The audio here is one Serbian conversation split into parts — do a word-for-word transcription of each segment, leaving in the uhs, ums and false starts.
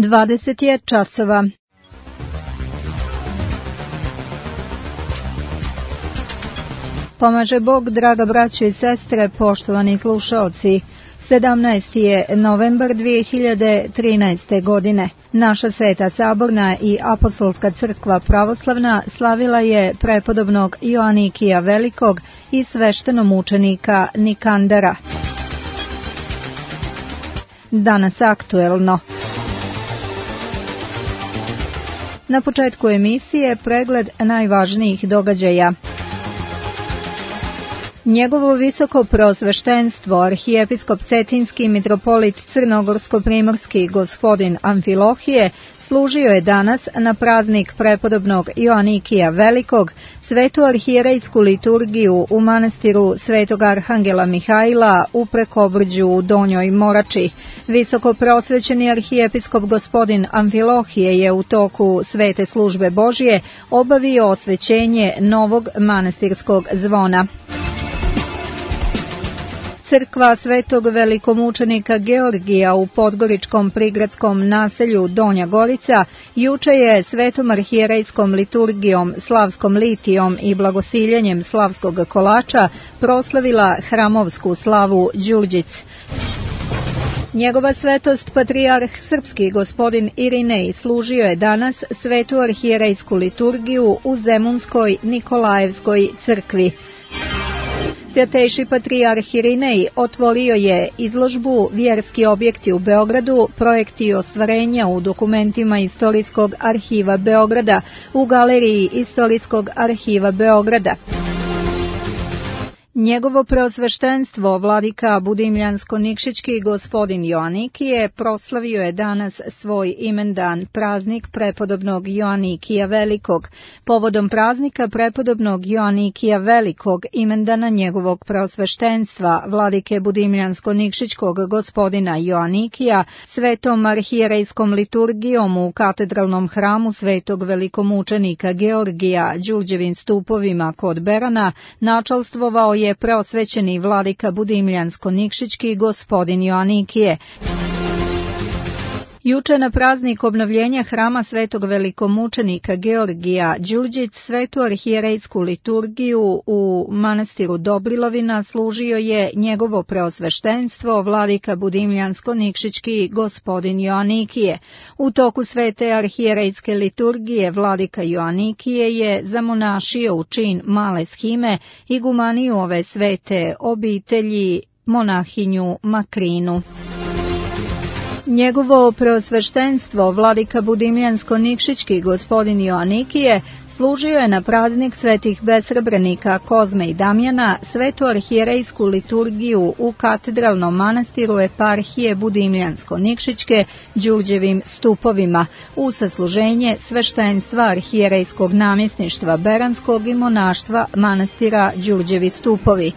dvadeset je časova. Pomaže Bog, draga braćo i sestre, poštovani slušaoci. sedamnaesti je novembar dvije hiljade trinaeste. godine. Naša Sveta Saborna i Apostolska crkva pravoslavna slavila je prepodobnog Joanikija Velikog i sveštenomučenika Nikandara. Danas aktuelno. Na početku emisije pregled najvažnijih događaja. Njegovo visoko preosveštenstvo, arhijepiskop Cetinski mitropolit Crnogorsko-primorski gospodin Amfilohije, služio je danas na praznik prepodobnog Joanikija Velikog, svetu arhijerejsku liturgiju u manastiru Svetog Arhangela Mihajla u Prekobrđu u Donjoj Morači. Visoko preosvećeni arhijepiskop gospodin Amfilohije je u toku svete službe Božije obavio osvećenje novog manastirskog zvona. Crkva Svetog velikomučenika Georgija u podgoričkom prigradskom naselju Donja Gorica juče je svetom arhijerejskom liturgijom, slavskom litijom i blagosiljenjem slavskog kolača proslavila hramovsku slavu Đurđic. Njegova svetost patrijarh srpski gospodin Irinej služio je danas svetu arhijerejsku liturgiju u Zemunskoj Nikolajevskoj crkvi. Svjatejši patrijarh Irinej otvorio je izložbu Vjerski objekti u Beogradu, projekti i ostvarenja u dokumentima Istorijskog arhiva Beograda u Galeriji Istorijskog arhiva Beograda. Njegovo preosveštenstvo, vladika Budimljansko-Nikšićki gospodin Joanikije, proslavio je danas svoj imendan, praznik prepodobnog Joanikija Velikog. Povodom praznika prepodobnog Joanikija Velikog, imendana njegovog preosveštenstva, vladike Budimljansko-Nikšićkog gospodina Joanikija, svetom arhijerejskom liturgijom u katedralnom hramu svetog velikomučenika Georgija, Đurđevim stupovima kod Berana, načalstvovao je preosvećeni vladika Budimljansko-Nikšićki gospodin Joanikije. Juče na praznik obnovljenja hrama svetog velikomučenika Georgija Đurđic svetu arhijerejsku liturgiju u manastiru Dobrilovina služio je njegovo preosveštenstvo vladika Budimljansko-Nikšićki gospodin Joanikije. U toku svete arhijerejske liturgije vladika Joanikije je zamonašio u čin male shime igumaniju ove svete obitelji monahinju Makrinu. Njegovo preosveštenstvo, vladika Budimljansko-Nikšićki gospodin Joanikije, služio je na praznik svetih besrebrenika Kozme i Damjana svetu arhijerejsku liturgiju u katedralnom manastiru eparhije Budimljansko-Nikšićke Đurđevim stupovima u sasluženje sveštenstva arhijerejskog namjesništva Beranskog i monaštva manastira Đurđevi stupovi.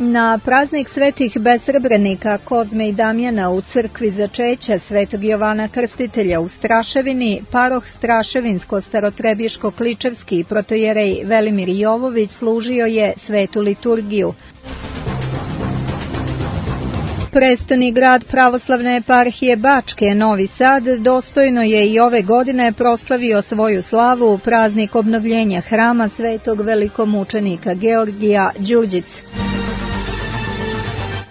Na praznik svetih besrebrenika Kozme i Damjana u crkvi Začeća svetog Jovana Krstitelja u Straševini, paroh Straševinsko-starotrebiško-kličevski protojerej Velimir Jovović služio je svetu liturgiju. Prestoni grad pravoslavne eparhije Bačke, Novi Sad, dostojno je i ove godine proslavio svoju slavu praznik obnovljenja hrama svetog velikomučenika Georgija Đurđic.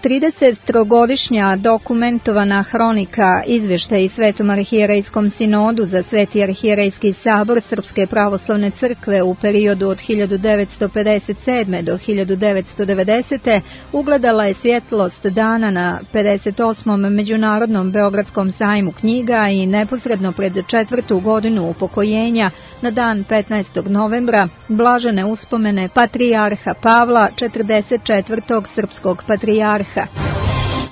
tridesettrogodišnja dokumentovana hronika izvještaj Svetom arhijerejskom sinodu za Sveti arhijerejski sabor Srpske pravoslavne crkve u periodu od hiljadu devetsto pedeset sedme. do hiljadu devetsto devedesete. ugledala je svjetlost dana na pedeset osmom. Međunarodnom Beogradskom sajmu knjiga i neposredno pred četvrtu godinu upokojenja na dan petnaestog novembra blažene uspomene patrijarha Pavla, četrdeset četvrtog srpskog patrijarha.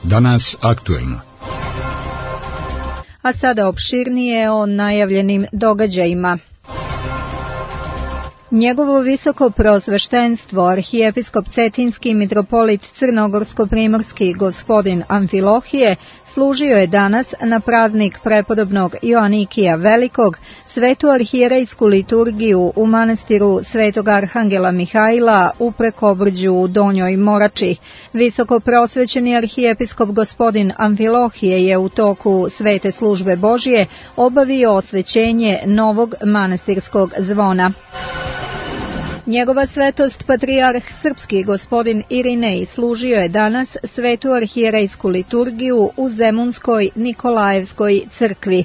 Danas aktuelno. A sada opširnije o najavljenim događajima. Njegovo visoko preosveštenstvo, arhijepiskop Cetinski mitropolit Crnogorsko-primorski gospodin Amfilohije, služio je danas na praznik prepodobnog Joanikija Velikog svetu arhijerejsku liturgiju u manastiru Svetog Arhangela Mihajla u Prekobrđu u Donjoj Morači. Visoko preosvećeni arhijepiskop gospodin Amfilohije je u toku svete službe Božije obavio osvećenje novog manastirskog zvona. Njegova svetost patrijarh srpski gospodin Irinej služio je danas svetu arhijerejsku liturgiju u Zemunskoj Nikolajevskoj crkvi.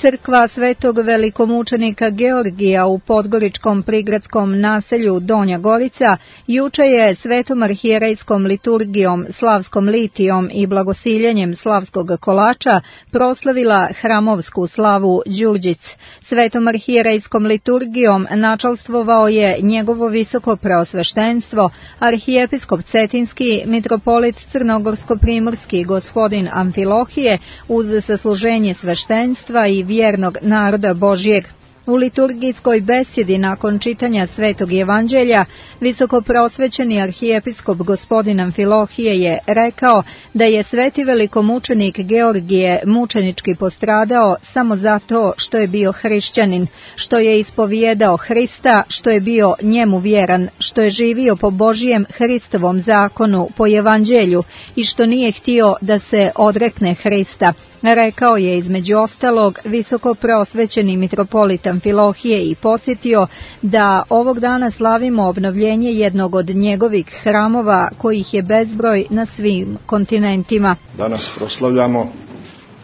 Crkva svetog velikomučenika Georgija u podgoričkom prigradskom naselju Donja Gorica juče je svetom arhijerejskom liturgijom, slavskom litijom i blagosiljenjem slavskog kolača proslavila hramovsku slavu Đurđic. Svetom arhijerejskom liturgijom načalstvovao je njegovo visoko preosveštenstvo, arhijepiskop Cetinski mitropolit Crnogorsko-primorski gospodin Amfilohije uz sasluženje sveštenstva i vjernog naroda Božjeg. U liturgijskoj besjedi nakon čitanja Svetog Evanđelja, visoko preosvećeni arhijepiskop gospodin Amfilohije je rekao da je sveti velikomučenik Georgije mučenički postradao samo zato što je bio hrišćanin, što je ispovijedao Hrista, što je bio njemu vjeran, što je živio po Božjem Hristovom zakonu, po Evanđelju i što nije htio da se odrekne Hrista. Rekao je između ostalog visoko preosvećeni mitropolit Amfilohije i podsjetio da ovog dana slavimo obnovljenje jednog od njegovih hramova kojih je bezbroj na svim kontinentima. Danas proslavljamo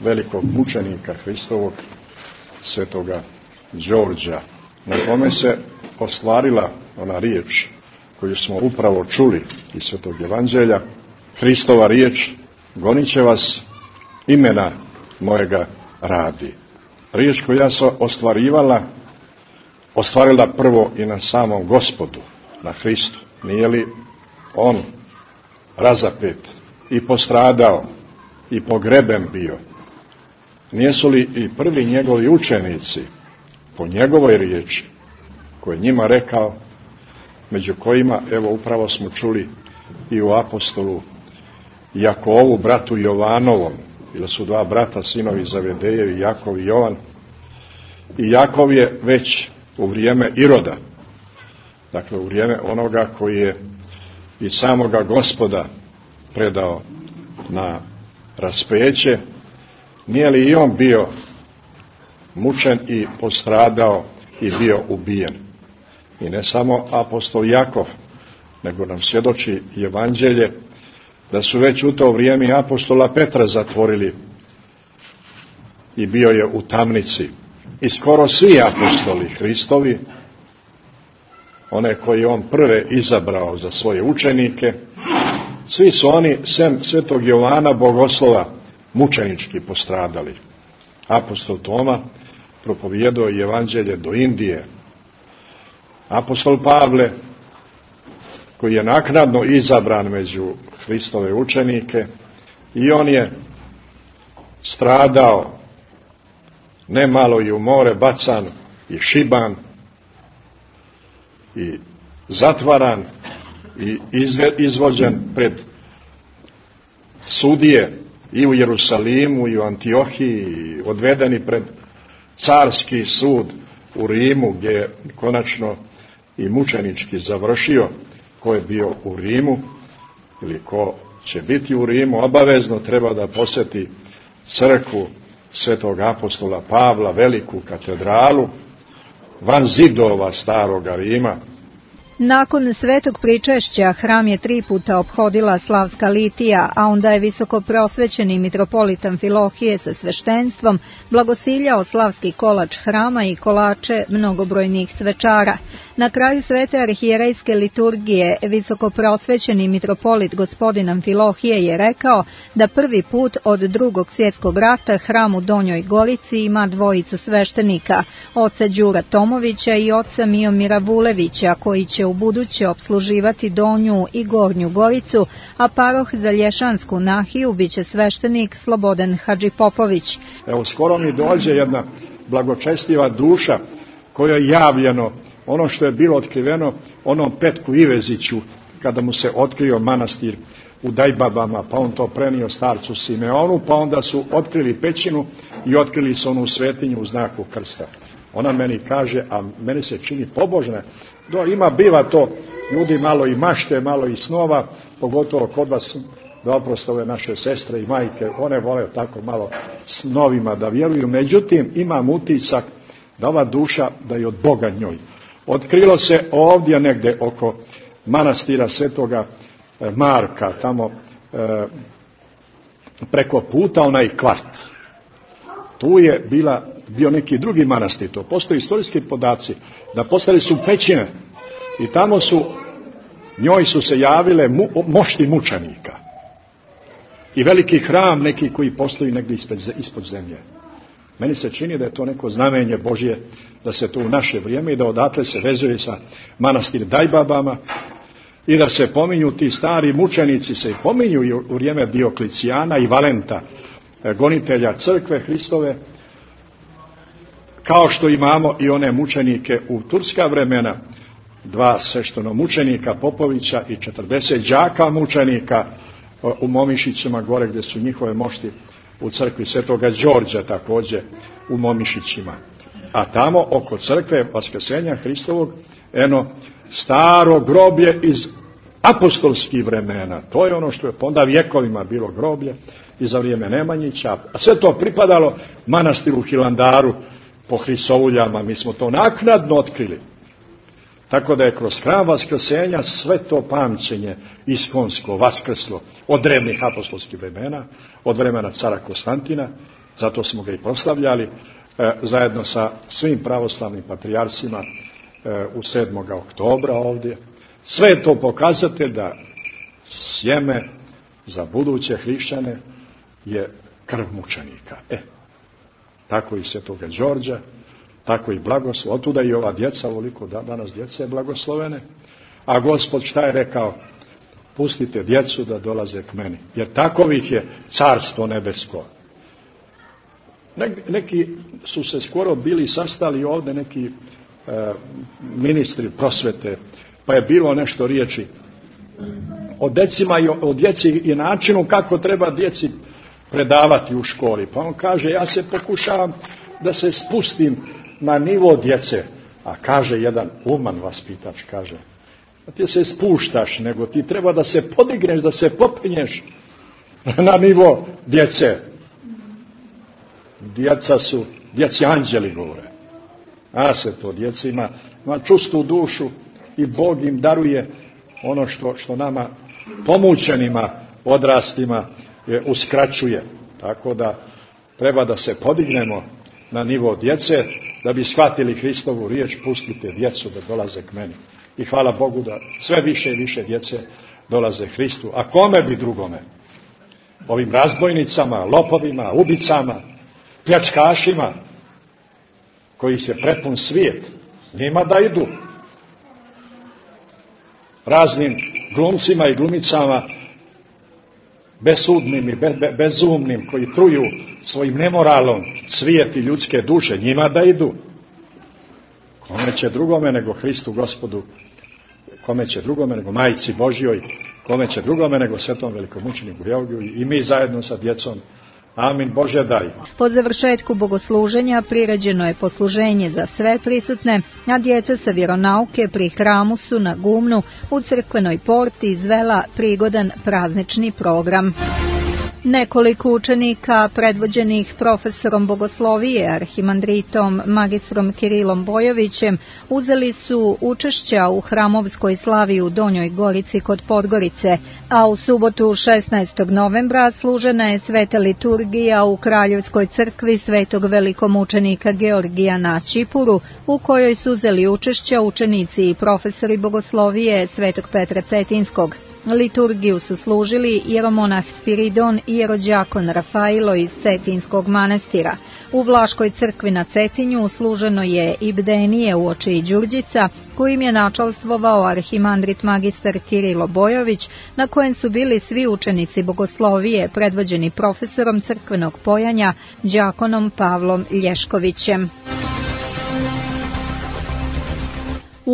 velikog mučenika Hristovog, svetoga Đorđa, na kome se ostvarila ona riječ koju smo upravo čuli iz Svetog Evanđelja, Hristova riječ: gonit će vas imena mojega radi. Riječ koja se ostvarivala, ostvarila prvo i na samom Gospodu, na Hristu. Nije li on razapet i postradao i pogreben bio? Nijesu li i prvi njegovi učenici po njegovoj riječi, koje je njima rekao, među kojima, evo upravo smo čuli i u apostolu Jakovu, bratu Jovanovom, ili su dva brata, sinovi Zavedejevi, Jakov i Jovan. I Jakov je već u vrijeme Iroda, dakle u vrijeme onoga koji je i samoga Gospoda predao na raspeće, nije li i on bio mučen i postradao i bio ubijen? I ne samo apostol Jakov, nego nam svjedoči Evanđelje da su već u to vrijeme apostola Petra zatvorili i bio je u tamnici. I skoro svi apostoli Hristovi, one koje on prve izabrao za svoje učenike, svi su oni, sem svetog Jovana Bogoslova, mučenički postradali. Apostol Toma propovijedao je Evanđelje do Indije. Apostol Pavle, koji je naknadno izabran među Hristove učenike, i on je stradao, ne malo i u more bacan i šiban i zatvaran i izvođen pred sudije i u Jerusalimu i u Antiohiji, i odvedeni pred carski sud u Rimu, gdje je konačno i mučenički završio. Ko je bio u Rimu ili ko će biti u Rimu, obavezno treba da posjeti crkvu svetog apostola Pavla, veliku katedralu, van zidova staroga Rima. Nakon svetog pričešća hram je tri puta ophodila slavska litija, a onda je visoko preosvećeni mitropolit Amfilohije sa sveštenstvom blagosiljao slavski kolač hrama i kolače mnogobrojnih svečara. Na kraju svete arhijerejske liturgije visoko preosvećeni mitropolit gospodin Amfilohije je rekao da prvi put od drugog svjetskog rata hram u Donjoj Gorici ima dvojicu sveštenika, oca Đura Tomovića i oca Miomira Vulevića, koji će u buduće opsluživati Donju i Gornju Goricu, a paroh za Lješansku nahiju biće sveštenik Slobodan Hadžipopović. Evo, skoro mi dođe jedna blagočestiva duša kojoj je javljeno ono što je bilo otkriveno onom Petku Iveziću kada mu se otkrio manastir u Dajbabama, pa on to prenio starcu Simeonu, pa onda su otkrili pećinu i otkrili su onu svetinju u znaku krsta. Ona meni kaže, a meni se čini pobožna, do, ima biva to, ljudi malo i mašte, malo i snova, pogotovo kod vas, da oproste ove naše sestre i majke, one vole tako malo snovima da vjeruju, međutim imam utisak da ova duša da je od Boga njoj. Otkrilo se ovdje negdje oko manastira Svetoga Marka, tamo e, preko puta onaj kvart. Tu je bila, bio neki drugi manastir, to postoji istorijski podaci, da postali su pećine i tamo su, njoj su se javile mu, mošti mučenika i veliki hram neki koji postoji negdje ispod, ispod zemlje. Meni se čini da je to neko znamenje Božje, da se to u naše vrijeme i da odatle se vezuje sa manastir Dajbabama i da se pominju ti stari mučenici, se pominju i u vrijeme Dioklicijana i Valenta, gonitelja crkve Hristove, kao što imamo i one mučenike u turska vremena, dva svešteno mučenika Popovića i četrdeset đaka mučenika u Momišićima gore gdje su njihove mošti u crkvi Svetoga Đorđa također u Momišićima. A tamo oko crkve Vaskrsenja Hristovog eno staro groblje iz apostolskih vremena. To je ono što je onda vjekovima bilo groblje i za vrijeme Nemanjića. A sve to pripadalo manastiru Hilandaru po Hrisouljama. Mi smo to naknadno otkrili. Tako da je kroz hram Vaskrsenja sve to pamćenje iskonsko vaskrslo od drevnih apostolskih vremena, od vremena cara Konstantina, zato smo ga i proslavljali e, zajedno sa svim pravoslavnim patrijarcima e, u sedmog oktobra ovdje. Sve je to pokazatelj da sjeme za buduće hrišćane je krv mučenika. E, tako i Svetoga Đorđa, tako i blagoslov. Otuda i ova djeca, ovoliko da, danas djece je blagoslovene. A Gospod šta je rekao? Pustite djecu da dolaze k meni, jer takovih je carstvo nebesko. Neki su se skoro bili sastali ovdje, neki e, ministri prosvete, pa je bilo nešto riječi o decima i o, o djeci i načinu kako treba djeci predavati u školi. Pa on kaže, ja se pokušavam da se spustim na nivo djece. A kaže jedan uman vaspitač, kaže, da ti se spuštaš, nego ti treba da se podigneš, da se popinješ na nivo djece. Djeca su, djeci anđeli govore. A se to, djeca ima, ima čustu dušu i Bog im daruje ono što, što nama pomućenima, odrastima je, uskraćuje. Tako da treba da se podignemo na nivo djece, da bi shvatili Hristovu riječ, pustite djecu da dolaze k meni. I hvala Bogu da sve više i više djece dolaze Hristu. A kome bi drugome? Ovim razbojnicama, lopovima, ubicama, pljačkašima, koji se prepun svijet, njima da idu. Raznim glumcima i glumicama, besudnim i be, be, bezumnim, koji truju svojim nemoralom svijet i ljudske duše, njima da idu. Kome će drugome nego Hristu Gospodu, kome će drugome nego Majci Božjoj, kome će drugome nego svetom velikomučeniku Georgiju i mi zajedno sa djecom. Amin, Bože daj. Po završetku bogosluženja priređeno je posluženje za sve prisutne, a djeca sa vjeronauke pri hramu su na gumnu u crkvenoj porti izvela prigodan praznični program. Nekoliko učenika predvođenih profesorom bogoslovije, arhimandritom magistrom Kirilom Bojovićem, uzeli su učešća u hramovskoj slavi u Donjoj Gorici kod Podgorice, a u subotu šesnaestog novembra služena je sveta liturgija u Kraljevskoj crkvi svetog velikomučenika Georgija na Čipuru, u kojoj su uzeli učešća učenici i profesori bogoslovije svetog Petra Cetinskog. Liturgiju su služili jeromonah Spiridon i jerođakon Rafailo iz Cetinskog manastira. U Vlaškoj crkvi na Cetinju služeno je i bdenije uoči Đurđica, kojim je načalstvovao arhimandrit magistar Kirilo Bojović, na kojem su bili svi učenici bogoslovije predvođeni profesorom crkvenog pojanja đakonom Pavlom Lješkovićem.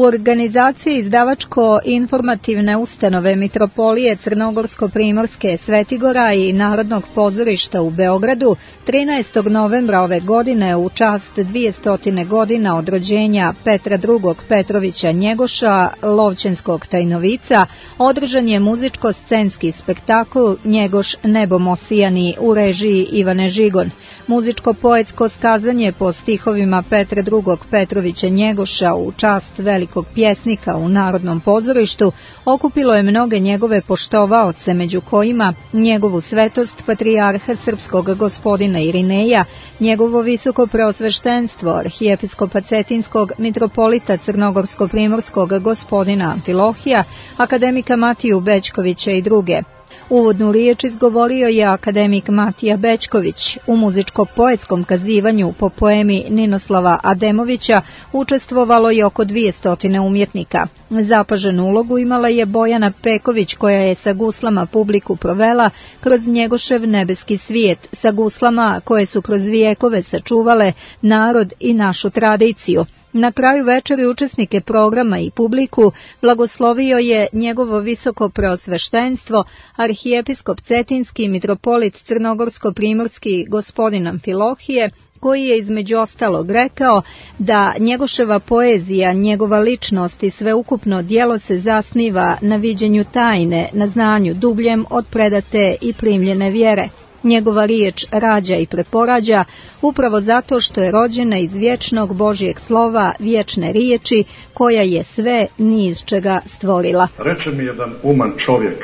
U organizaciji izdavačko-informativne ustanove Mitropolije Crnogorsko-Primorske Svetigora i Narodnog pozorišta u Beogradu trinaestog novembra ove godine u čast dvjesto godina od rođenja Petra drugog Petrovića Njegoša, Lovćenskog tajnovica, održan je muzičko-scenski spektakl Njegoš nebom osijani u režiji Ivane Žigon. Muzičko-poetsko skazanje po stihovima Petra drugog Petrovića Njegoša u čast velikog pjesnika u Narodnom pozorištu okupilo je mnoge njegove poštovaoce, među kojima njegovu svetost patrijarha srpskog gospodina Irineja, njegovo visoko preosveštenstvo arhijepiskopa Cetinskog mitropolita Crnogorsko-Primorskog gospodina Amfilohija, akademika Matiju Bećkovića i druge. Uvodnu riječ izgovorio je akademik Matija Bećković. U muzičko-poetskom kazivanju po poemi Ninoslava Ademovića učestvovalo je oko dvjesto umjetnika. Zapaženu ulogu imala je Bojana Peković, koja je sa guslama publiku provela kroz Njegošev nebeski svijet, sa guslama koje su kroz vijekove sačuvale narod i našu tradiciju. Na kraju večeri učesnike programa i publiku blagoslovio je njegovo visoko preosveštenstvo, arhijepiskop Cetinski mitropolit Crnogorsko-Primorski gospodin Amfilohije, koji je između ostalog rekao da Njegoševa poezija, njegova ličnost i sveukupno djelo se zasniva na viđenju tajne, na znanju dubljem od predate i primljene vjere. Njegova riječ rađa i preporađa upravo zato što je rođena iz vječnog Božjeg slova, vječne riječi, koja je sve ni iz čega stvorila. Reče mi jedan uman čovjek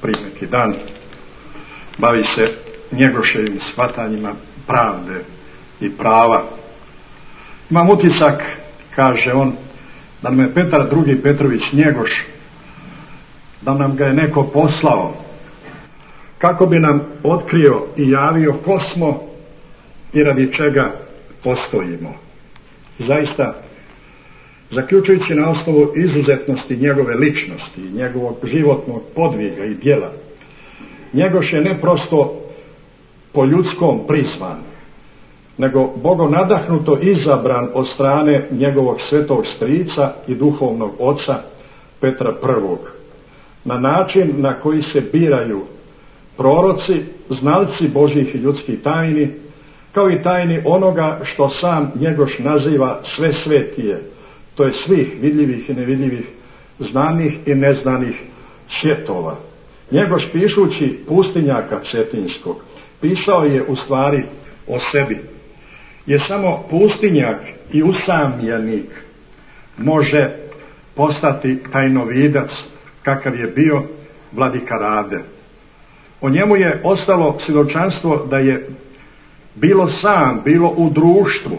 prije neki dan, bavi se Njegoševim shvatanjima pravde i prava. Imam utisak, kaže on, da nam je Petar drugi Petrović Njegoš, da nam ga je neko poslao kako bi nam otkrio i javio ko smo i radi čega postojimo. Zaista, zaključujući na osnovu izuzetnosti njegove ličnosti i njegovog životnog podviga i djela, Njegoš je ne prosto po ljudskom prizvan, nego Bogom nadahnuto izabran od strane njegovog svetog strica i duhovnog oca Petra prvog, na način na koji se biraju proroci, znalci Božjih i ljudskih tajni, kao i tajni onoga što sam Njegoš naziva sve svetije, to je svih vidljivih i nevidljivih, znanih i neznanih svjetova. Njegoš, pišući pustinjaka Cetinskog, pisao je u stvari o sebi. Je samo pustinjak i usamljenik može postati tajnovidac kakav je bio vladika Rade. O njemu je ostalo svjedočanstvo da je bilo sam, bilo u društvu,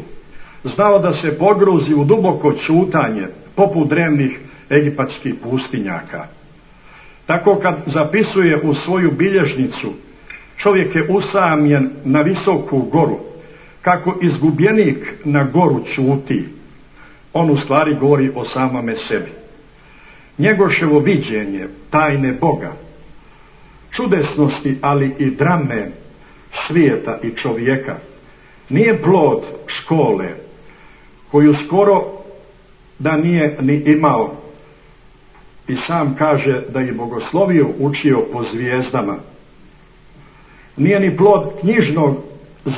znao da se pogruzi u duboko ćutanje poput drevnih egipatskih pustinjaka. Tako kad zapisuje u svoju bilježnicu, čovjek je usamljen na visoku goru, kako izgubljenik na goru ćuti, on u stvari govori o samome sebi. Njegoševo viđenje tajne Boga, čudesnosti, ali i drame svijeta i čovjeka, nije plod škole, koju skoro da nije ni imao, i sam kaže da je bogoslovio učio po zvijezdama. Nije ni plod knjižnog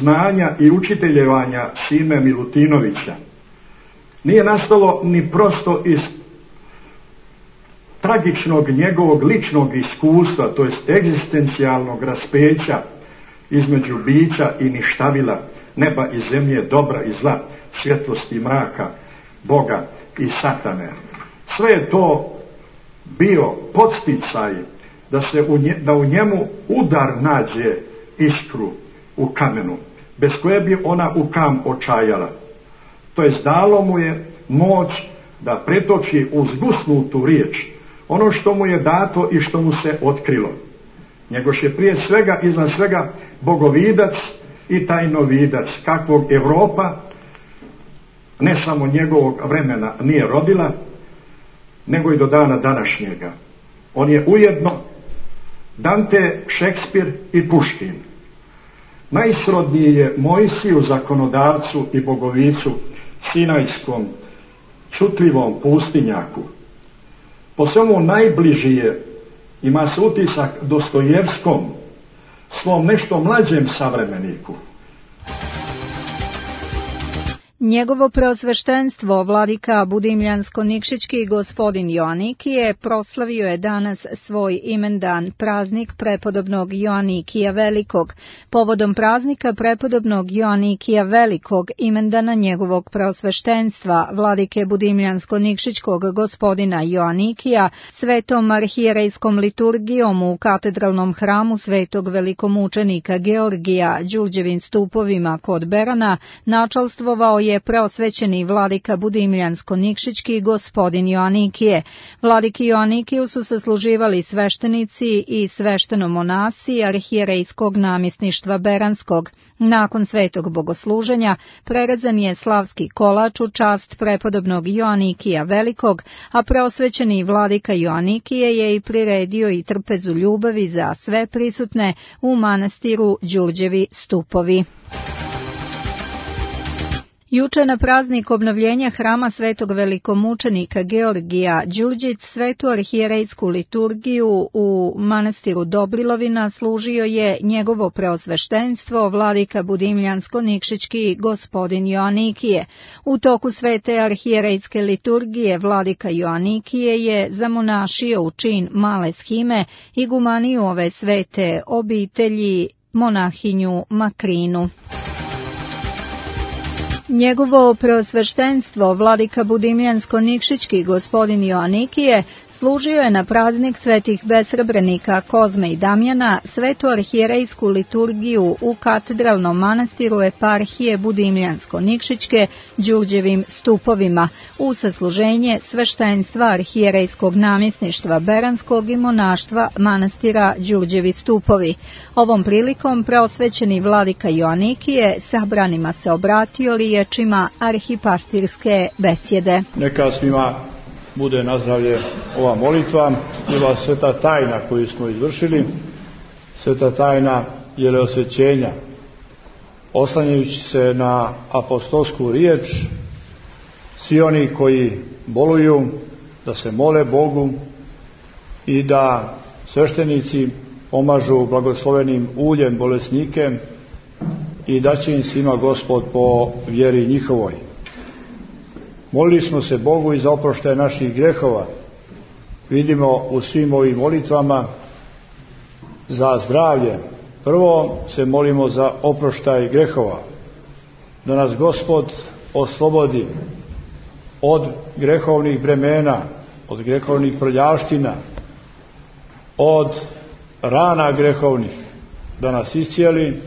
znanja i učiteljevanja Sime Milutinovića. Nije nastalo ni prosto iz tragičnog njegovog ličnog iskustva, to jest egzistencijalnog raspeća između bića i ništavila, neba i zemlje, dobra i zla, svjetlosti i mraka, Boga i satane. Sve je to bio podsticaj da se u, nje, da u njemu udar nađe iskru u kamenu, bez koje bi ona u kam očajala. To jest dalo mu je moć da pretoči u zgusnutu riječ ono što mu je dato i što mu se otkrilo. Njegoš je prije svega, iznad svega, bogovidac i tajnovidac, kakvog Europa, ne samo njegovog vremena, nije rodila, nego i do dana današnjega. On je ujedno Dante, Šekspir i Puškin. Najsrodniji je Mojsiju, zakonodavcu i bogovicu Sinajskom, šutljivom pustinjaku. Po svemu najbliži je, ima se utisak, Dostojevskom, svom nešto mlađem savremeniku. Njegovo preosveštenstvo, vladika Budimljansko-Nikšićki gospodin Joanikije, proslavio je danas svoj imendan, praznik prepodobnog Joanikija Velikog. Povodom praznika prepodobnog Joanikija Velikog, imendana njegovog preosveštenstva, vladike Budimljansko-Nikšićkog gospodina Joanikija, svetom arhijerejskom liturgijom u katedralnom hramu svetog velikomučenika Georgija, Đurđevim stupovima kod Berana, načalstvovao je je preosvećeni vladika Budimljansko-Nikšićki gospodin Joanikije. Vladiki Joanikiju su sasluživali sveštenici i sveštenomonasi arhijerejskog namjesništva Beranskog. Nakon svetog bogosluženja prerezan je slavski kolač u čast prepodobnog Joanikija Velikog, a preosvećeni vladika Joanikije je i priredio i trpezu ljubavi za sve prisutne u manastiru Đurđevi stupovi. Juče na praznik obnovljenja hrama svetog velikomučenika Georgija Đurđić svetu arhijerejsku liturgiju u manastiru Dobrilovina služio je njegovo preosveštenstvo vladika Budimljansko-Nikšićki gospodin Joanikije. U toku svete arhijerejske liturgije vladika Joanikije je zamonašio u čin male shime igumaniju ove svete obitelji monahinju Makrinu. Njegovo preosveštenstvo, vladika Budimljansko-Nikšićki gospodin Joanikije, služio je na praznik svetih besrebrenika Kozme i Damjana svetu arhijerejsku liturgiju u katedralnom manastiru eparhije Budimljansko-Nikšićke Đurđevim stupovima u sasluženje sveštenstva arhijerejskog namjesništva Beranskog i monaštva manastira Đurđevi stupovi. Ovom prilikom preosvećeni vladika Joanikije sabranima se obratio riječima arhipastirske besjede. Neka svima bude na zdravlje ova molitva i ova sveta tajna koju smo izvršili, sveta tajna jeleosvećenja, oslanjajući se na apostolsku riječ, svi oni koji boluju da se mole Bogu i da sveštenici pomažu blagoslovenim uljem bolesnike i da će im svima Gospod po vjeri njihovoj. Molili smo se Bogu i za oproštaj naših grehova. Vidimo u svim ovim molitvama za zdravlje. Prvo se molimo za oproštaj grehova, da nas Gospod oslobodi od grehovnih bremena, od grehovnih prljavština, od rana grehovnih, da nas iscijeli,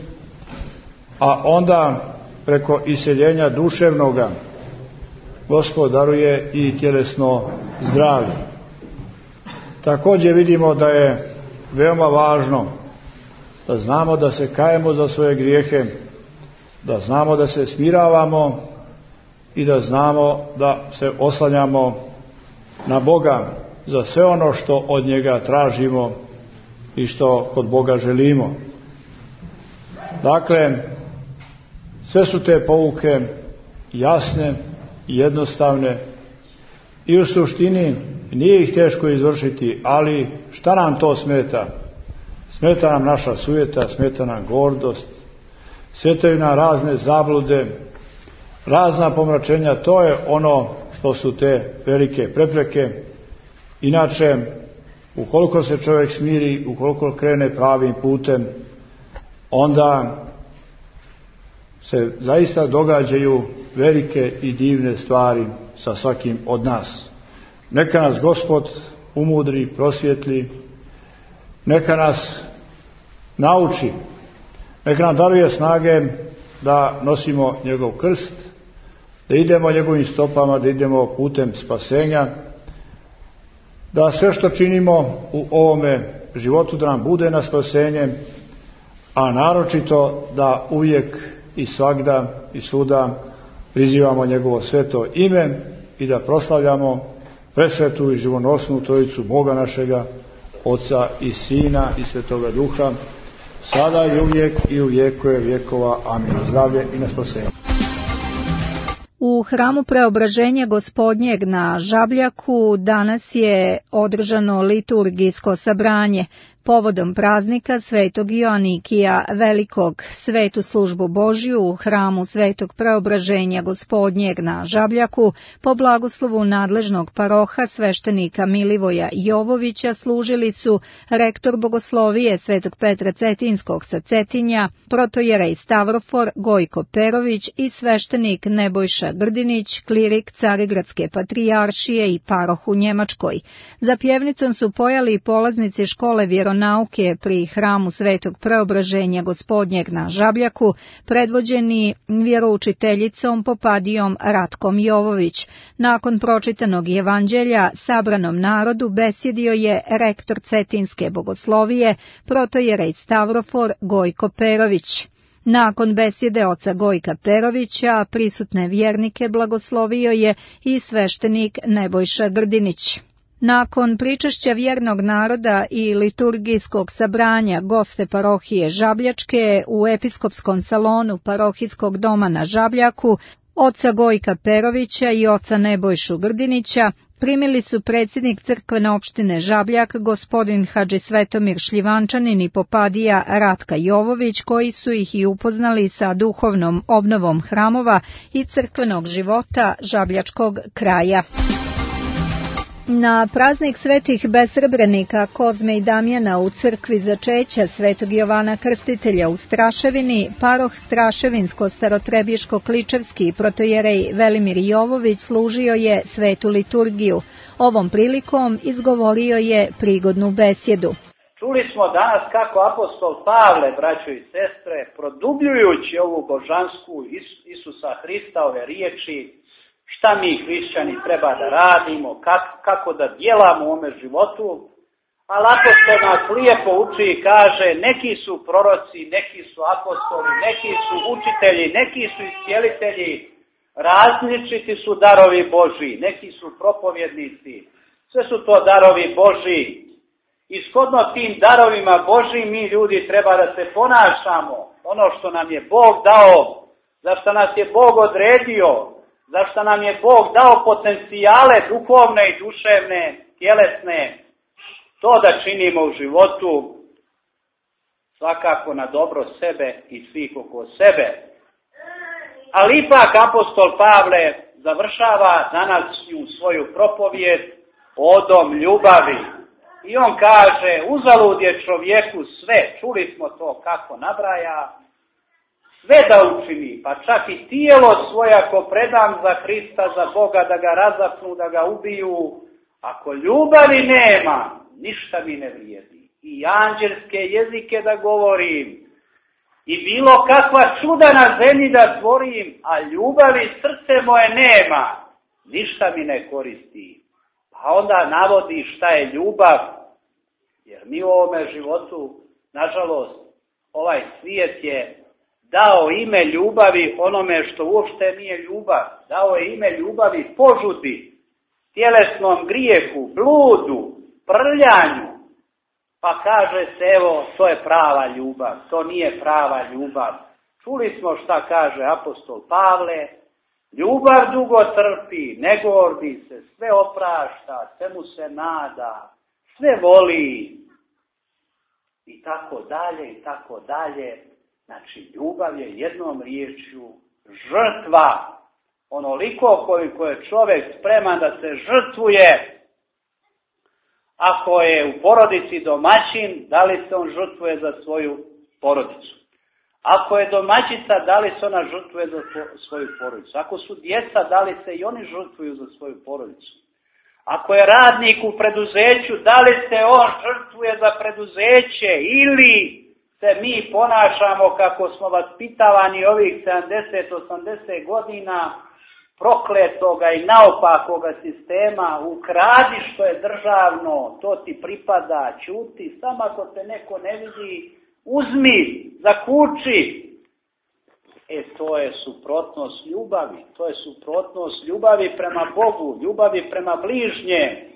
a onda preko iseljenja duševnoga Gospod daruje i tjelesno zdravlje. Također vidimo da je veoma važno da znamo da se kajemo za svoje grijehe, da znamo da se smiravamo i da znamo da se oslanjamo na Boga za sve ono što od njega tražimo i što kod Boga želimo. Dakle, sve su te pouke jasne, jednostavne i u suštini nije ih teško izvršiti, ali šta nam to smeta? Smeta nam naša sujeta, smeta nam gordost, smetaju nam razne zablude, razna pomračenja, to je ono što su te velike prepreke. Inače, ukoliko se čovjek smiri, ukoliko krene pravim putem, onda se zaista događaju velike i divne stvari sa svakim od nas. Neka nas Gospod umudri, prosvjetli, neka nas nauči, neka nam daruje snage da nosimo njegov krst, da idemo njegovim stopama, da idemo putem spasenja, da sve što činimo u ovome životu da nam bude na spasenje, a naročito da uvijek i svagda i svuda prizivamo njegovo sveto ime i da proslavljamo presvetu i živonosnu Trojicu Boga našega, Oca i Sina i Svetoga Duha, sada i uvijek i u vjekove vjekova. Amin. Zdravlje i na spasenje. U hramu Preobraženja Gospodnjeg na Žabljaku danas je održano liturgijsko sabranje. Povodom praznika Svetog Joanikija Velikog, svetu službu Božju u hramu Svetog Preobraženja Gospodnjeg na Žabljaku, po blagoslovu nadležnog paroha sveštenika Milivoja Jovovića služili su rektor bogoslovije Svetog Petra Cetinskog sa Cetinja, protojerej Stavrofor Gojko Perović i sveštenik Nebojša Grdinić, klirik Carigradske patrijaršije i paroh u Njemačkoj. Za pjevnicom su pojali polaznici škole vjeronauke pri hramu Svetog Preobraženja Gospodnjeg na Žabljaku, predvođeni vjeroučiteljicom Popadijom Ratkom Jovović. Nakon pročitanog evanđelja sabranom narodu besjedio je rektor Cetinske bogoslovije, protojerej Stavrofor Gojko Perović. Nakon besjede oca Gojka Perovića, prisutne vjernike blagoslovio je i sveštenik Nebojša Grdinić. Nakon pričešća vjernog naroda i liturgijskog sabranja goste parohije Žabljačke u episkopskom salonu parohijskog doma na Žabljaku, oca Gojka Perovića i oca Nebojšu Grdinića, primili su predsjednik crkvene opštine Žabljak, gospodin Hadži Svetomir Šljivančanin i Popadija Ratka Jovović, koji su ih i upoznali sa duhovnom obnovom hramova i crkvenog života žabljačkog kraja. Na praznik svetih besrebrenika Kozme i Damjana u crkvi Začeća Svetog Jovana Krstitelja u Straševini, paroh Straševinsko-Starotrebiško-Kličevski protojerej Velimir Jovović služio je svetu liturgiju. Ovom prilikom izgovorio je prigodnu besjedu. Čuli smo danas kako apostol Pavle, braćo i sestre, produbljujući ovu božansku Isusa Hrista, ove riječi, šta mi hrišćani treba da radimo, kako, kako da djelamo u ovome životu, ali apostol nas lijepo uči i kaže, neki su proroci, neki su apostoli, neki su učitelji, neki su iscijelitelji, različiti su darovi Božji, neki su propovjednici, sve su to darovi Božji. I shodno tim darovima Božjim mi ljudi treba da se ponašamo, ono što nam je Bog dao, za što nas je Bog odredio, zašto nam je Bog dao potencijale duhovne i duševne, tjelesne, to da činimo u životu svakako na dobro sebe i svih oko sebe. Ali ipak apostol Pavle završava danas u svoju propovijed odom ljubavi. I on kaže, uzalud je čovjeku sve, čuli smo to kako nabraja, sve da učini, pa čak i tijelo svoje ako predam za Hrista, za Boga, da ga razapnu, da ga ubiju, ako ljubavi nema, ništa mi ne vrijedi. I anđelske jezike da govorim, i bilo kakva čuda na zemlji da tvorim, a ljubavi srce moje nema, ništa mi ne koristi. Pa onda navodi šta je ljubav, jer mi u ovome životu, nažalost, ovaj svijet je dao ime ljubavi onome što uopšte nije ljubav. Dao je ime ljubavi požudi, tjelesnom grijehu, bludu, prljanju. Pa kaže se, evo, to je prava ljubav, to nije prava ljubav. Čuli smo šta kaže apostol Pavle, ljubav dugo trpi, ne gordi se, sve oprašta, svemu se nada, sve voli. I tako dalje, i tako dalje. Znači, ljubav je jednom riječju žrtva, onoliko koliko je čovjek spreman da se žrtvuje. Ako je u porodici domaćin, da li se on žrtvuje za svoju porodicu? Ako je domaćica, da li se ona žrtvuje za svoju porodicu? Ako su djeca, da li se i oni žrtvuju za svoju porodicu? Ako je radnik u preduzeću, da li se on žrtvuje za preduzeće ili se mi ponašamo kako smo vaspitavani ovih sedamdeset osamdeset godina prokletoga i naopakoga sistema, ukradi što je državno, to ti pripada, ćuti, samo ako te neko ne vidi, uzmi, zakuči. E, to je suprotnost ljubavi, to je suprotnost ljubavi prema Bogu, ljubavi prema bližnje.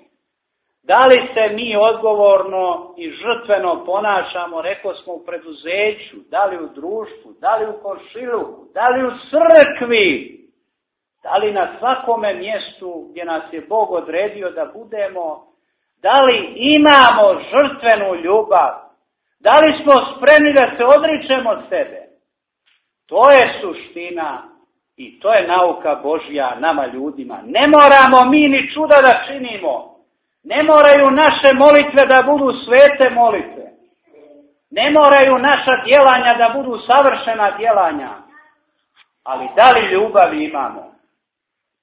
Da li se mi odgovorno i žrtveno ponašamo, rekao smo, u preduzeću, da li u društvu, da li u komšiluku, da li u crkvi? Da li na svakome mjestu gdje nas je Bog odredio da budemo, da li imamo žrtvenu ljubav? Da li smo spremni da se odričemo sebe? To je suština i to je nauka Božja nama ljudima. Ne moramo mi ni čuda da činimo. Ne moraju naše molitve da budu svete molitve. Ne moraju naša djelanja da budu savršena djelanja. Ali da li ljubav imamo?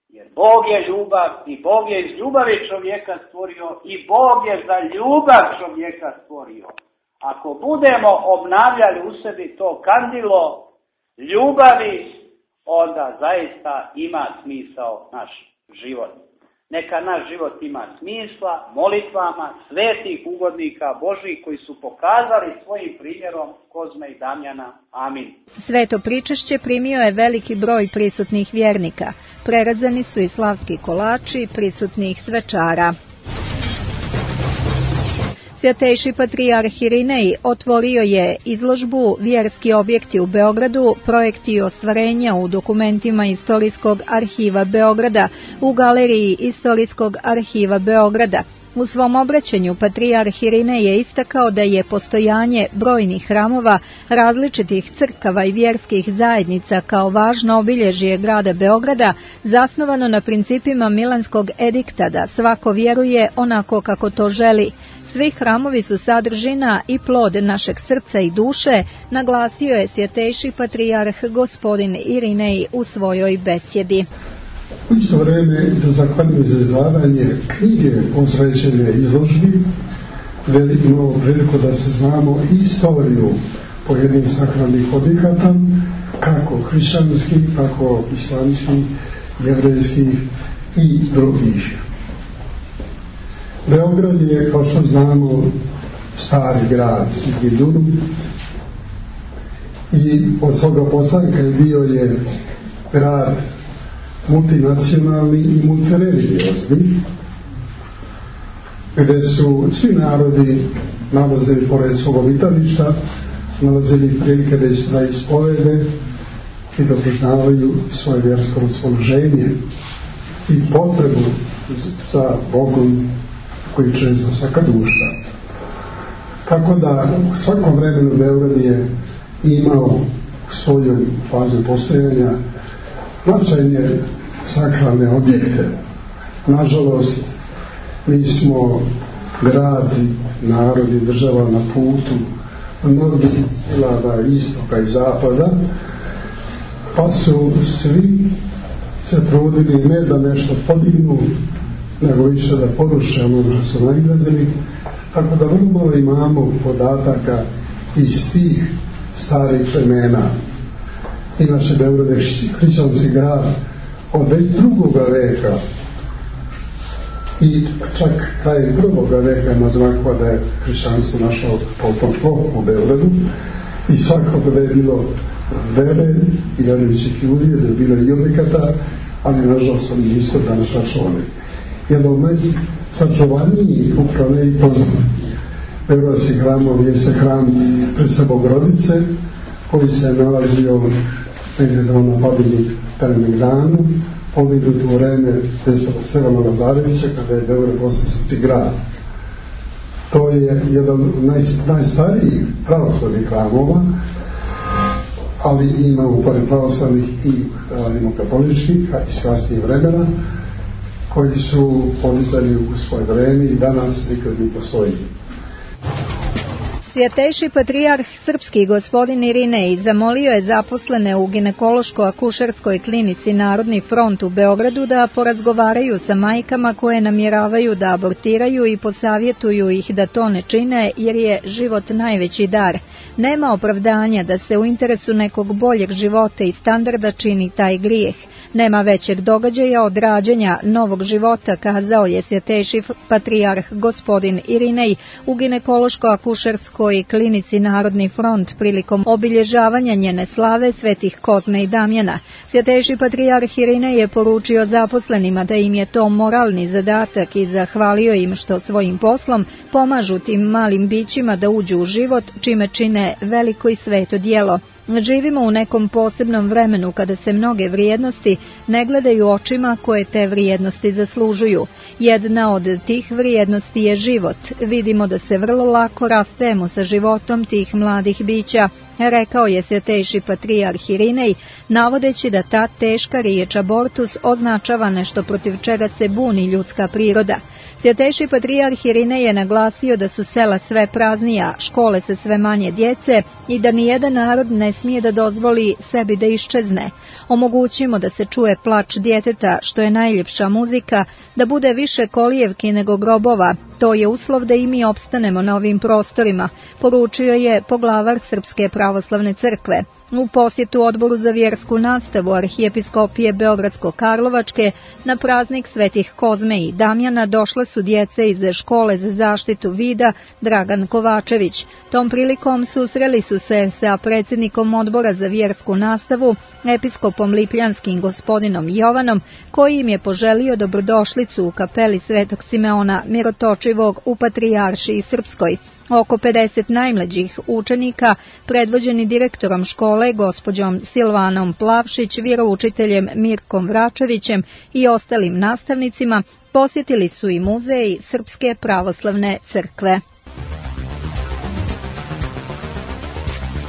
Jer Bog je ljubav i Bog je iz ljubavi čovjeka stvorio i Bog je za ljubav čovjeka stvorio. Ako budemo obnavljali u sebi to kandilo ljubavi, onda zaista ima smisao naš život. Neka naš život ima smisla molitvama svetih ugodnika Božjih koji su pokazali svojim primjerom Kozme i Damjana. Amin. Sveto pričešće primio je veliki broj prisutnih vjernika. Prerezani su i slavski kolači prisutnih svečara. Svjatejši patrijarh Irinej otvorio je izložbu Vjerski objekti u Beogradu, projekti ostvarenja u dokumentima Istorijskog arhiva Beograda u Galeriji Istorijskog arhiva Beograda. U svom obraćanju patrijarh Irinej je istakao da je postojanje brojnih hramova, različitih crkava i vjerskih zajednica kao važno obilježje grada Beograda zasnovano na principima Milanskog edikta da svako vjeruje onako kako to želi. Svi hramovi su sadržina i plod našeg srca i duše, naglasio je svjetejši patrijarh gospodin Irinej u svojoj besjedi. U isto vreme da zahvaljujem za izdavanje knjige posvećene izložbi, veliko imamo priliku da se znamo istoriju pojedinih sakralnih objekata, kako hrišćanskih, kako islamskih, jevrejskih i drugih. Beograd je, kao što znamo, stari grad Sigiljudu i od svoga postanka je bio je grad multinacionalni i multireligiozni, gdje su svi narodi nalazili pored svog obitališta, nalazili prilike da se da ispovede i da priznavaju svoje vjersko raspoloženje i potrebu za Bogom koji čezna svaka duša. Tako da u svakom vremenu Beograd je imao u svojoj fazi postojanja značajne sakralne objekte. Nažalost, mi smo grad, narod i država na putu mnogih dilada istoka i zapada, pa su svi se trudili ne da nešto podignu, nego više da poruše ono što su nailazili, tako da vrlo malo imamo podataka iz tih starih vremena. Inače, Beograd je hrišćanski grad od već drugoga veka i čak kraj prvoga veka ima znakova da je hrišćanstvo našao potomstvo u Beogradu i svakako da je bilo vere i vjerujućih ljudi, da je bilo i objekata, ali nažalost oni nisu danas sačuvani. Jedan od najsačuvanijih upravo i poznat beogradski hramov je se hram Presve Bogorodice, koji se nalazio negdje na Padini Kalemegdanu, podignuti u vreme despota Stefana Lazarevića, kada je Beograd postao srpski grad. To je jedan od naj, najstarijih pravoslavnih hramova, ali ima u pored pravoslavnih i rimokatoličkih, a iz kasnijih vremena, koji su podizani u svoje vreme i danas nikad ne postoji. Svjetejši patrijarh srpski gospodin Irinej zamolio je zaposlene u ginekološko-akušerskoj klinici Narodni front u Beogradu da porazgovaraju sa majkama koje namjeravaju da abortiraju i posavjetuju ih da to ne čine jer je život najveći dar. Nema opravdanja da se u interesu nekog boljeg života i standarda čini taj grijeh. Nema većeg događaja od rađanja novog života, kazao je svjetejši patrijarh gospodin Irinej u ginekološko-akušerskoj klinici Narodni front prilikom obilježavanja njene slave svetih Kozme i Damjana. Svjetejši patrijarh Irinej je poručio zaposlenima da im je to moralni zadatak i zahvalio im što svojim poslom pomažu tim malim bićima da uđu u život, čime čine je veliko i sveto djelo. Živimo u nekom posebnom vremenu kada se mnoge vrijednosti ne gledaju očima koje te vrijednosti zaslužuju. Jedna od tih vrijednosti je život. Vidimo da se vrlo lako rastajemo sa životom tih mladih bića, rekao je Svetejši patrijarh Irinej, navodeći da ta teška riječ abortus označava nešto protiv čega se buni ljudska priroda. Svetejši patrijarh Irinej je naglasio da su sela sve praznija, škole se sve manje djece i da nijedan narod ne smije da dozvoli sebi da iščezne. Omogućimo da se čuje plač djeteta, što je najljepša muzika, da bude više kolijevki nego grobova. To je uslov da i mi opstanemo na ovim prostorima, poručio je poglavar Srpske pravoslavne crkve. U posjetu Odboru za vjersku nastavu Arhijepiskopije Beogradsko-Karlovačke na praznik Svetih Kozme i Damjana došle su djece iz škole za zaštitu vida Dragan Kovačević. Tom prilikom susreli su se sa predsjednikom Odbora za vjersku nastavu, episkopom Lipljanskim gospodinom Jovanom, koji im je poželio dobrodošlicu u kapeli Svetog Simeona Mirotočivog u Patrijaršiji Srpskoj. Oko pedeset najmlađih učenika, predvođeni direktorom škole, gospođom Silvanom Plavšić, vjeroučiteljem Mirkom Vračevićem i ostalim nastavnicima, posjetili su i muzej Srpske pravoslavne crkve.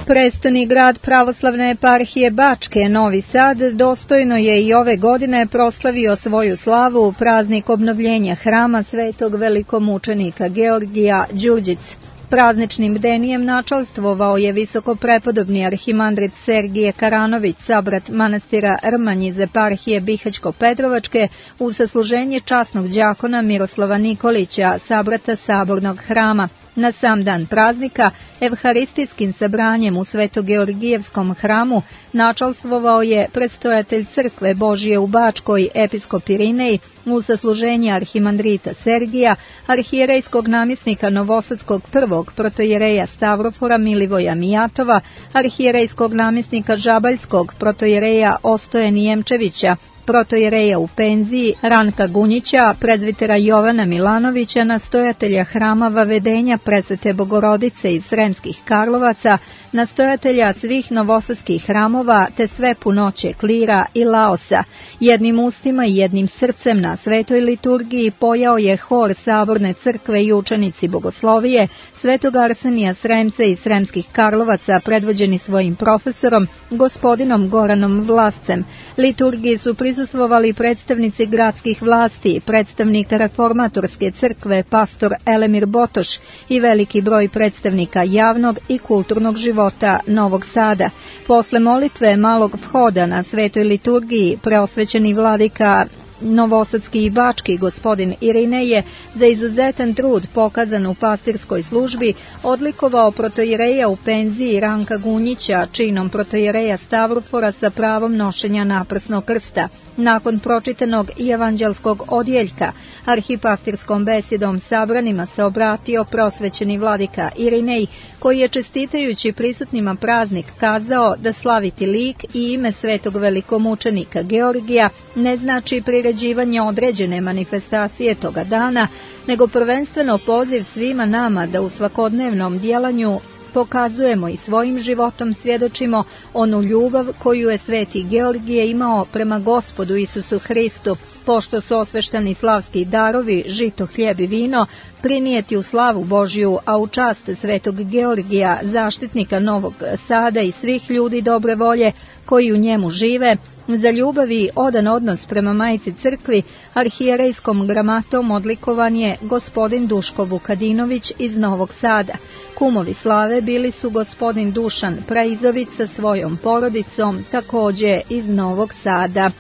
Prestoni grad pravoslavne eparhije Bačke, Novi Sad, dostojno je i ove godine proslavio svoju slavu praznik obnovljenja hrama svetog velikomučenika Georgija Đurđic. Prazničnim bdenijem načalstvovao je visokoprepodobni arhimandrit Sergije Karanović, sabrat manastira Rmanj iz eparhije Bihać-Petrovačke, u sasluženje časnog đakona Miroslava Nikolića, sabrata Sabornog hrama. Na sam dan praznika, evharistijskim sabranjem u Svetogeorgijevskom hramu načalstvovao je predstojatelj crkve Božije u Bačkoj, episkop Irinej, u sasluženje arhimandrita Sergija, arhijerejskog namjesnika Novosadskog prvog protojereja Stavrofora Milivoja Mijatova, arhijerejskog namjesnika Žabaljskog protojereja Ostoje Nijemčevića, protojereja u penziji Ranka Gunjića, prezvitera Jovana Milanovića, nastojatelja hrama Vavedenja Presvete Bogorodice iz Sremskih Karlovaca, nastojatelja svih novosadskih hramova, te sve punoće klira i laosa. Jednim ustima i jednim srcem na svetoj liturgiji pojao je hor Saborne crkve i učenici bogoslovije, Svetog Arsenija Sremca i Sremskih Karlovaca, predvođeni svojim profesorom, gospodinom Goranom Vlascem. Liturgiji su prisustvovali predstavnici gradskih vlasti, predstavnik reformatorske crkve, pastor Elemir Botoš i veliki broj predstavnika javnog i kulturnog života Novog Sada. Posle molitve malog vhoda na svetoj liturgiji, preosvećeni vladika Novosadski i Bački gospodin Irinej je za izuzetan trud pokazan u pastirskoj službi odlikovao protojereja u penziji Ranka Gunjića činom protojereja Stavrofora sa pravom nošenja naprsnog krsta. Nakon pročitanog evanđelskog odjeljka, arhipastirskom besedom sabranima se obratio prosvećeni vladika Irinej, koji je čestitajući prisutnima praznik kazao da slaviti lik i ime svetog velikomučenika Georgija ne znači priređivanje određene manifestacije toga dana, nego prvenstveno poziv svima nama da u svakodnevnom djelanju pokazujemo i svojim životom svjedočimo onu ljubav koju je sveti Georgije imao prema Gospodu Isusu Hristu, pošto su osveštani slavski darovi, žito, hljeb i vino, prinijeti u slavu Božju, a u čast svetog Georgija, zaštitnika Novog Sada i svih ljudi dobre volje koji u njemu žive, za ljubav i odan odnos prema Majci crkvi, arhijerejskom gramatom odlikovan je gospodin Duško Vukadinović iz Novog Sada. Kumovi slave bili su gospodin Dušan Praizović sa svojom porodicom, također iz Novog Sada.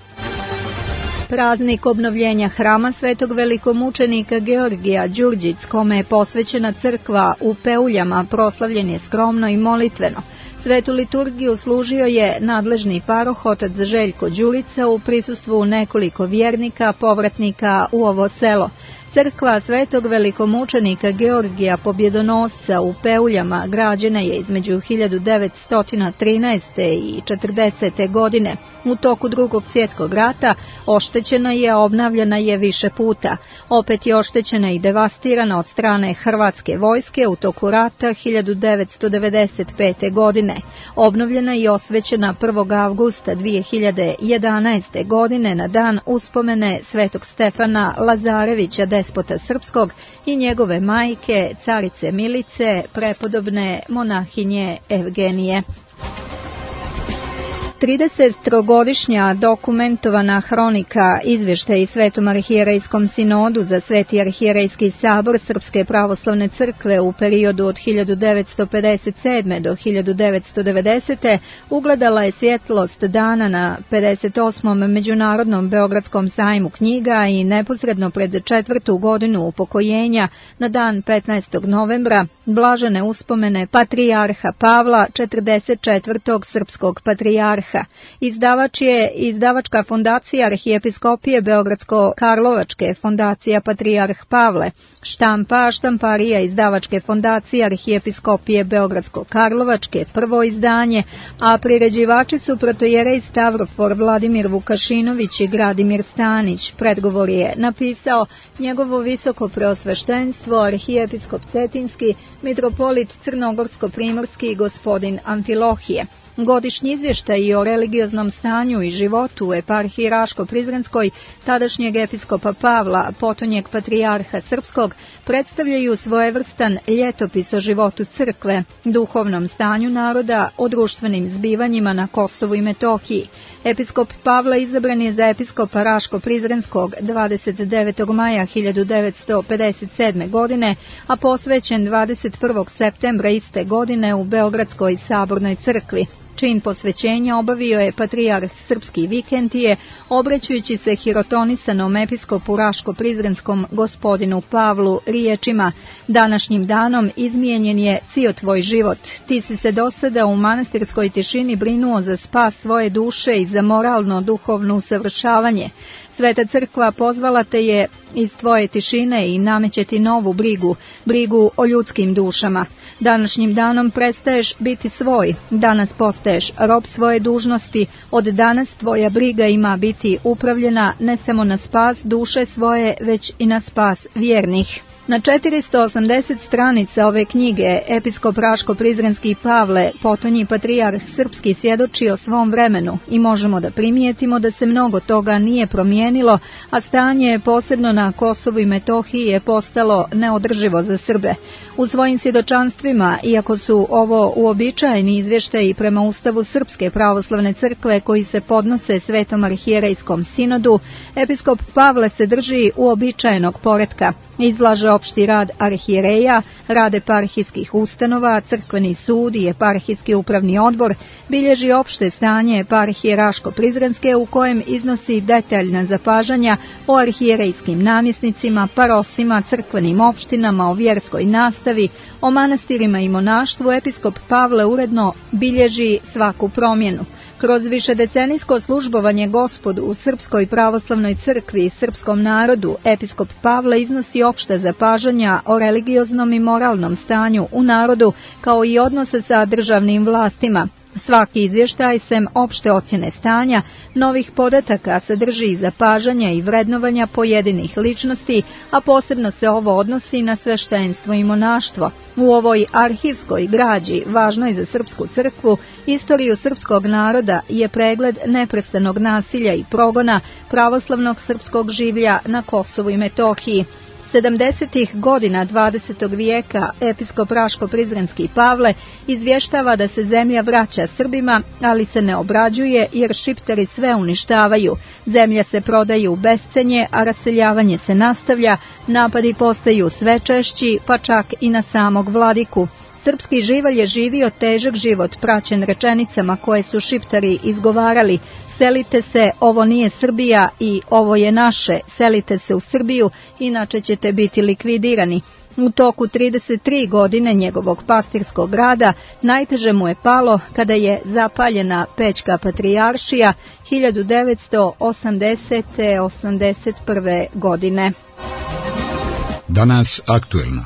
Praznik obnovljenja hrama svetog velikomučenika Georgija Đurđic, kome je posvećena crkva u Peuljama, proslavljen je skromno i molitveno. Svetu liturgiju služio je nadležni paroh otac Željko Đurica u prisustvu nekoliko vjernika, povratnika u ovo selo. Crkva Svetog velikomučenika Georgija Pobjedonosca u Peuljama građena je između hiljadu devetsto trinaeste i četrdesete godine. U toku Drugog svjetskog rata oštećena je, a obnavljana je više puta. Opet je oštećena i devastirana od strane hrvatske vojske u toku rata hiljadu devetsto devedeset pete. godine. Obnovljena i osvećena prvog avgusta dvije hiljade jedanaeste. godine na dan uspomene Svetog Stefana Lazarevića, despota srpskog, i njegove majke, carice Milice, prepodobne monahinje Evgenije. tridesetogodišnja dokumentovana hronika izvještaji Svetom arhijerejskom sinodu za Sveti arhijerejski sabor Srpske pravoslavne crkve u periodu od hiljadu devetsto pedeset sedme. do hiljadu devetsto devedesete. ugledala je svjetlost dana na pedeset osmom. Međunarodnom Beogradskom sajmu knjiga i neposredno pred četvrtu godinu upokojenja na dan petnaestog novembra blažene uspomene patrijarha Pavla, četrdeset četvrtog srpskog patrijarha. Izdavač je izdavačka fondacija Arhijepiskopije Beogradsko-Karlovačke, fondacija Patrijarh Pavle. Štampa štamparija izdavačke fondacije Arhijepiskopije Beogradsko-Karlovačke, prvo izdanje, a priređivači su protojerej Stavrofor Vladimir Vukašinović i Gradimir Stanić. Predgovor je napisao njegovo visoko preosveštenstvo arhijepiskop Cetinski, mitropolit Crnogorsko-primorski gospodin Amfilohije. Godišnji izvještaj o religioznom stanju i životu u eparhiji Raško-Prizrenskoj tadašnjeg episkopa Pavla, potonjeg patrijarha srpskog, predstavljaju svojevrstan ljetopis o životu crkve, duhovnom stanju naroda, o društvenim zbivanjima na Kosovu i Metohiji. Episkop Pavle izabran je za episkopa Raško-Prizrenskog dvadeset devetog maja hiljadu devetsto pedeset sedme. godine, a posvećen dvadeset prvog septembra iste godine u Beogradskoj sabornoj crkvi. Čin posvećenja obavio je patrijarh srpski Vikentije, obraćajući se hirotonisanom episkopu Raško-Prizrenskom gospodinu Pavlu riječima: današnjim danom izmijenjen je cio tvoj život. Ti si se do sada u manastirskoj tišini brinuo za spas svoje duše i za moralno duhovno usavršavanje. Sveta crkva pozvala te je iz tvoje tišine i nameće ti novu brigu, brigu o ljudskim dušama. Današnjim danom prestaješ biti svoj, danas postaješ rob svoje dužnosti, od danas tvoja briga ima biti upravljena ne samo na spas duše svoje, već i na spas vjernih. Na četiristo osamdeset stranica ove knjige episkop Raško-Prizrenski Pavle, potonji patrijarh srpski, svjedoči o svom vremenu i možemo da primijetimo da se mnogo toga nije promijenilo, a stanje posebno na Kosovu i Metohiji je postalo neodrživo za Srbe. U svojim svjedočanstvima, iako su ovo uobičajeni izvještaji prema Ustavu Srpske pravoslavne crkve koji se podnose Svetom arhijerejskom sinodu, episkop Pavle se drži uobičajenog poretka. Izlaže opšti rad arhijereja, rad eparhijskih ustanova, crkveni sud i eparhijski upravni odbor, bilježi opšte stanje eparhije Raško-Prizrenske u kojem iznosi detaljna zapažanja o arhijerejskim namjesnicima, parosima, crkvenim opštinama, o vjerskoj nastavi, o manastirima i monaštvu. Episkop Pavle uredno bilježi svaku promjenu. Kroz višedecenijsko službovanje Gospodu u Srpskoj pravoslavnoj crkvi i srpskom narodu, episkop Pavle iznosi opšta zapažanja o religioznom i moralnom stanju u narodu, kao i odnose sa državnim vlastima. Svaki izvještaj, sem opšte ocjene stanja, novih podataka sadrži i zapažanja i vrednovanja pojedinih ličnosti, a posebno se ovo odnosi na sveštenstvo i monaštvo. U ovoj arhivskoj građi, važnoj za srpsku crkvu, istoriju srpskog naroda, je pregled neprestanog nasilja i progona pravoslavnog srpskog življa na Kosovu i Metohiji. sedamdesetih godina dvadesetog vijeka episkop Raško-Prizrenski Pavle izvještava da se zemlja vraća Srbima, ali se ne obrađuje jer Šiptari sve uništavaju. Zemlja se prodaje u bescenje, a raseljavanje se nastavlja, napadi postaju sve češći, pa čak i na samog vladiku. Srpski živalj je živio težak život praćen rečenicama koje su Šiptari izgovarali: selite se, ovo nije Srbija, i ovo je naše, selite se u Srbiju, inače ćete biti likvidirani. U toku trideset tri godine njegovog pastirskog rada najteže mu je palo kada je zapaljena Pećka patrijaršija hiljadu devetsto osamdesete do osamdeset prve. godine. Danas aktuelno.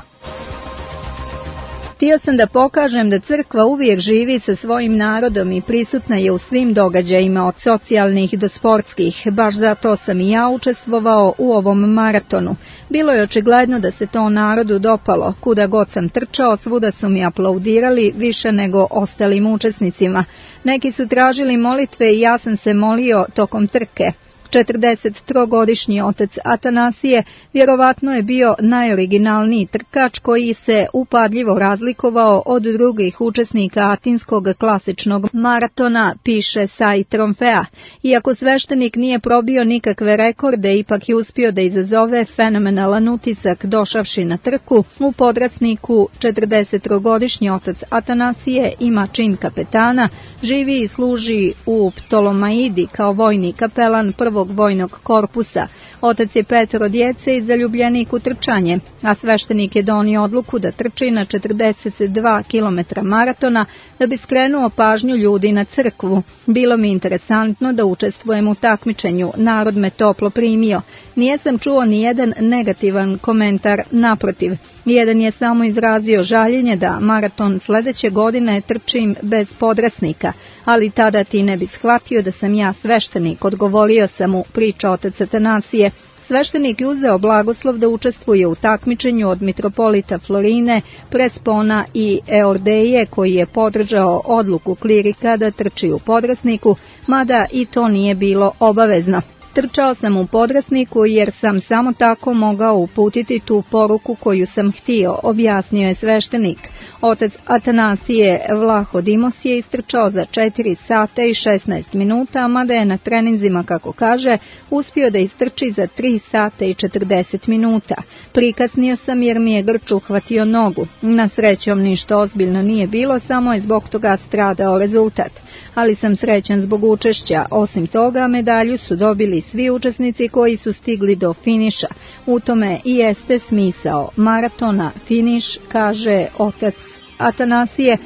Htio sam da pokažem da crkva uvijek živi sa svojim narodom i prisutna je u svim događajima od socijalnih do sportskih. Baš zato sam i ja učestvovao u ovom maratonu. Bilo je očigledno da se to narodu dopalo. Kuda god sam trčao, svuda su mi aplaudirali više nego ostalim učesnicima. Neki su tražili molitve i ja sam se molio tokom trke. četrdesettrogodišnji otac Atanasije vjerovatno je bio najoriginalniji trkač koji se upadljivo razlikovao od drugih učesnika atinskog klasičnog maratona, piše Sai Tromfea. Iako sveštenik nije probio nikakve rekorde, ipak je uspio da izazove fenomenalan utisak došavši na trku. U podracniku četrdesettrogodišnji otac Atanasije ima čin kapetana, živi i služi u Ptolomaidi kao vojni kapelan prvog vojnog korpusa. Otac je petoro djece i zaljubljenik u trčanje, a sveštenik je donio odluku da trči na četrdeset dva kilometra maratona da bi skrenuo pažnju ljudi na crkvu. Bilo mi interesantno da učestvujem u takmičenju, narod me toplo primio. Nijesam čuo ni jedan negativan komentar, naprotiv. Jedan je samo izrazio žaljenje da maraton sledeće godine trčim bez podrasnika, ali tada ti ne bi shvatio da sam ja sveštenik, odgovorio sam mu, priča otac Atanasije. Sveštenik je uzeo blagoslov da učestvuje u takmičenju od mitropolita Florine, Prespona i Eordeje, koji je podržao odluku klirika da trči u podrasniku, mada i to nije bilo obavezno. Trčao sam u podrasniku jer sam samo tako mogao uputiti tu poruku koju sam htio, objasnio je sveštenik. Otac Atanasije Vlahodimos je istrčao za četiri sata i šesnaest minuta, mada je na treninzima, kako kaže, uspio da istrči za tri sata i četrdeset minuta. Prikasnio sam jer mi je grč uhvatio nogu. Na srećom ništa ozbiljno nije bilo, samo je zbog toga stradao rezultat. Ali sam srećan zbog učešća. Osim toga, medalju su dobili svi učesnici koji su stigli do finiša. U tome i jeste smisao maratona, finiš, kaže otac Atanasije.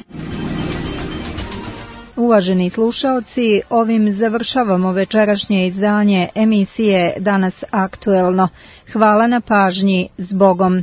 Uvaženi slušaoci, ovim završavamo večerašnje izdanje emisije Danas aktuelno. Hvala na pažnji, s Bogom.